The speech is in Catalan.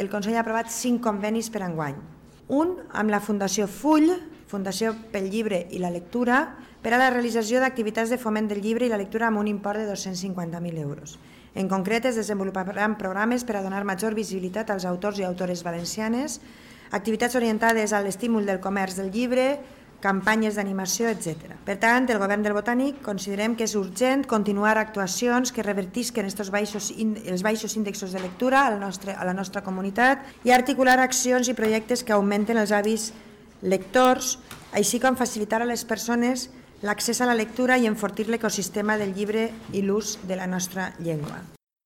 el Consell ha aprovat 5 convenis per enguany. Un amb la Fundació Full, Fundació pel Llibre i la Lectura, per a la realització d'activitats de foment del llibre i la lectura amb un import de 250.000 euros. En concret, es desenvoluparan programes per a donar major visibilitat als autors i autores valencianes, activitats orientades a l'estímul del comerç del llibre, campanyes d'animació, etc. Per tant, el Govern del Botànic considerem que és urgent continuar actuacions que revertisquen els baixos índexs de lectura a la nostra comunitat i articular accions i projectes que augmenten els hàbits lectors, així com facilitar a les persones l'accés a la lectura i enfortir l'ecosistema del llibre i l'ús de la nostra llengua.